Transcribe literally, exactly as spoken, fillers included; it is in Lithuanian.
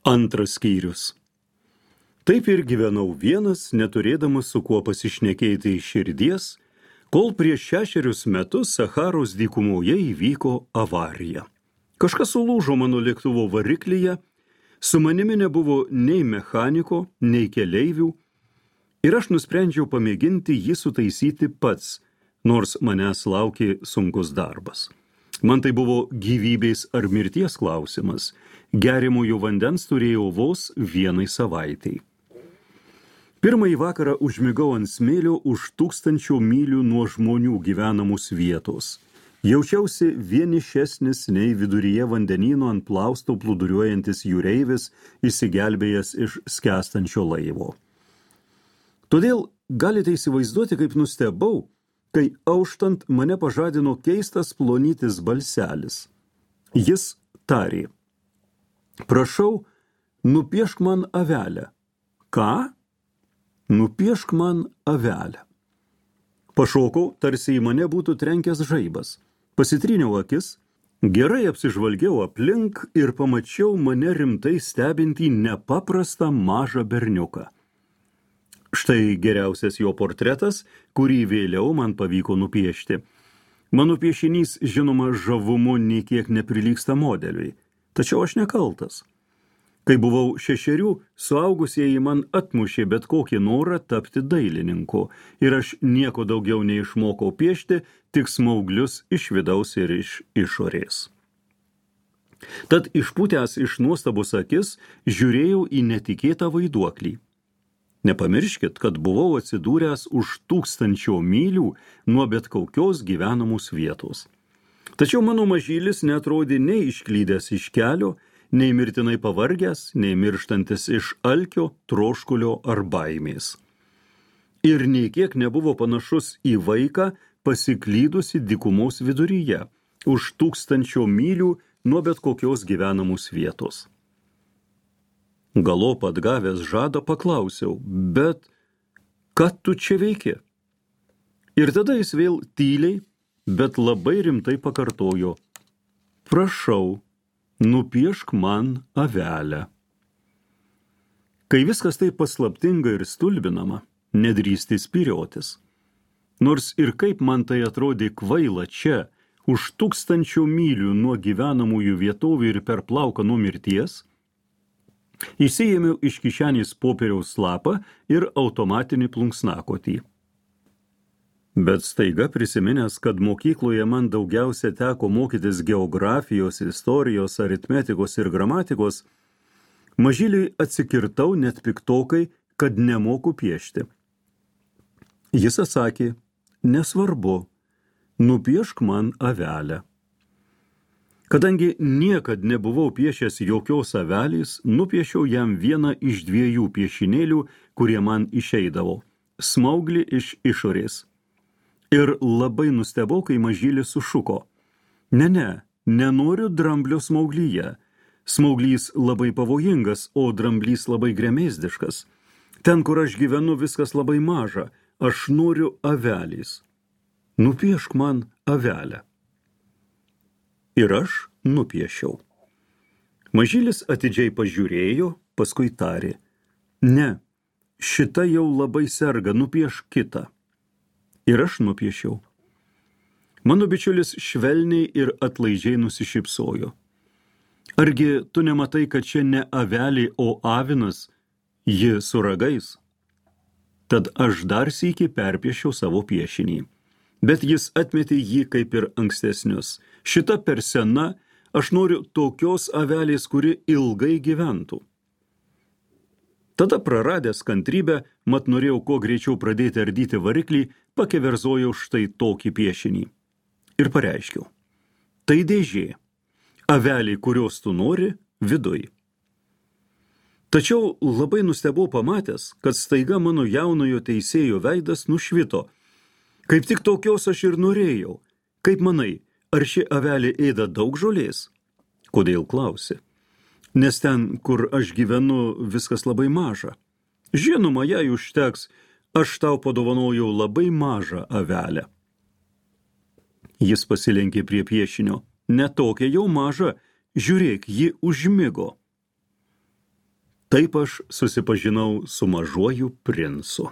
Antras skyrius. Taip ir gyvenau vienas, neturėdamas su kuo pasišnekėti iš širdies, kol prieš šešerius metus Sacharos dykumoje įvyko avarija. Kažkas sulūžo mano lėktuvo variklyje, su manimi nebuvo nei mechaniko, nei keleivių, ir aš nusprendžiau pamėginti jį sutaisyti pats, nors manęs laukė sunkus darbas. Man tai buvo gyvybės ar mirties klausimas. Geriamojo vandens turėjau vos vienai savaitai. Pirmąjį vakarą užmigau ant smėlio už tūkstančio mylių nuo žmonių gyvenamos vietos. Jaučiausi vienišesnis nei viduryje vandenyno ant plausto plūduriuojantis jūreivis, išsigelbėjęs iš skęstančio laivo. Todėl galite įsivaizduoti, kaip nustebau, kai auštant mane pažadino keistas plonytis balselis. Jis tarė: prašau, nupiešk man avelę. Ką? Nupiešk man avelę. Pašokau, tarsi į mane būtų trenkęs žaibas. Pasitryniau akis, gerai apsižvalgiau aplink ir pamačiau mane rimtai stebintį nepaprastą mažą berniuką. Štai geriausias jo portretas, kurį vėliau man pavyko nupiešti. Mano piešinys, žinoma, žavumu nei kiek neprilygsta modeliui, tačiau aš nekaltas. Kai buvau šešerių, suaugusieji man atmušė bet kokį norą tapti dailininku, ir aš nieko daugiau neišmokau piešti, tik smauglius iš vidaus ir iš išorės. Tad išpūtęs iš nuostabos akis, žiūrėjau į netikėtą vaiduoklį. Nepamirškit, kad buvau atsidūręs už tūkstančio mylių nuo bet kokios gyvenamos vietos. Tačiau mano mažylis netrodė nei išklydęs iš kelio, nei mirtinai pavargęs, nei mirštantis iš alkio, troškulio ar baimės. Ir nei kiek nebuvo panašus į vaiką, pasiklydusi dykumos viduryje, už tūkstančio mylių nuo bet kokios gyvenamos vietos. Galop atgavęs žadą paklausiau: bet ką tu čia veiki? Ir tada jis vėl tyliai, bet labai rimtai pakartojo: prašau, nupiešk man avelę. Kai viskas taip paslaptinga ir stulbinama, nedrįsti spyriotis. Nors ir kaip man tai atrodė kvaila čia, už tūkstančio mylių nuo gyvenamųjų vietovių ir per plauką nuo mirties, įsiėmiau iš kišenės popieriaus lapą ir automatinį plunksnakotį. Bet staiga prisiminęs, kad mokykloje man daugiausia teko mokytis geografijos, istorijos, aritmetikos ir gramatikos, mažyliui atsikirtau net piktokai, kad nemoku piešti. Jis atsakė: nesvarbu, nupiešk man avelę. Kadangi niekad nebuvau piešęs jokios avelės, nupiešiau jam vieną iš dviejų piešinėlių, kurie man išeidavo – smauglį iš išorės. Ir labai nustebau, kai mažylis sušuko: ne, ne, nenoriu dramblio smauglyje. Smauglys labai pavojingas, o dramblys labai gremėzdiškas. Ten, kur aš gyvenu, viskas labai maža. Aš noriu avelės. Nupiešk man avelę. Ir aš nupiešiau. Mažylis atidžiai pažiūrėjo, paskui tarė: ne, šita jau labai serga, nupiešk kitą. Ir aš nupiešiau. Mano bičiulis švelniai ir atlaidžiai nusišypsojo. Argi tu nematai, kad čia ne avelė, o avinas, ji su ragais? Tad aš dar sykį perpiešiau savo piešinį. Bet jis atmetė jį kaip ir ankstesnius. Šita per sena, aš noriu tokios avelės, kuri ilgai gyventų. Tada praradęs kantrybę, mat norėjau kuo greičiau pradėti ardyti variklį, pakeverzojau štai tokį piešinį. Ir pareiškiau: tai dėžė, avelė, kurios tu nori, viduj. Tačiau labai nustebau pamatęs, kad staiga mano jaunojo teisėjo veidas nušvito. Kaip tik tokios aš ir norėjau. Kaip manai, ar ši avelė ėda daug žolės? Kodėl klausi? Nes ten, kur aš gyvenu, viskas labai maža. Žinoma, jei užteks, aš tau padovanojau labai mažą avelę. Jis pasilenkė prie piešinio. Ne tokia jau maža, žiūrėk, ji užmigo. Taip aš susipažinau su Mažuoju princu.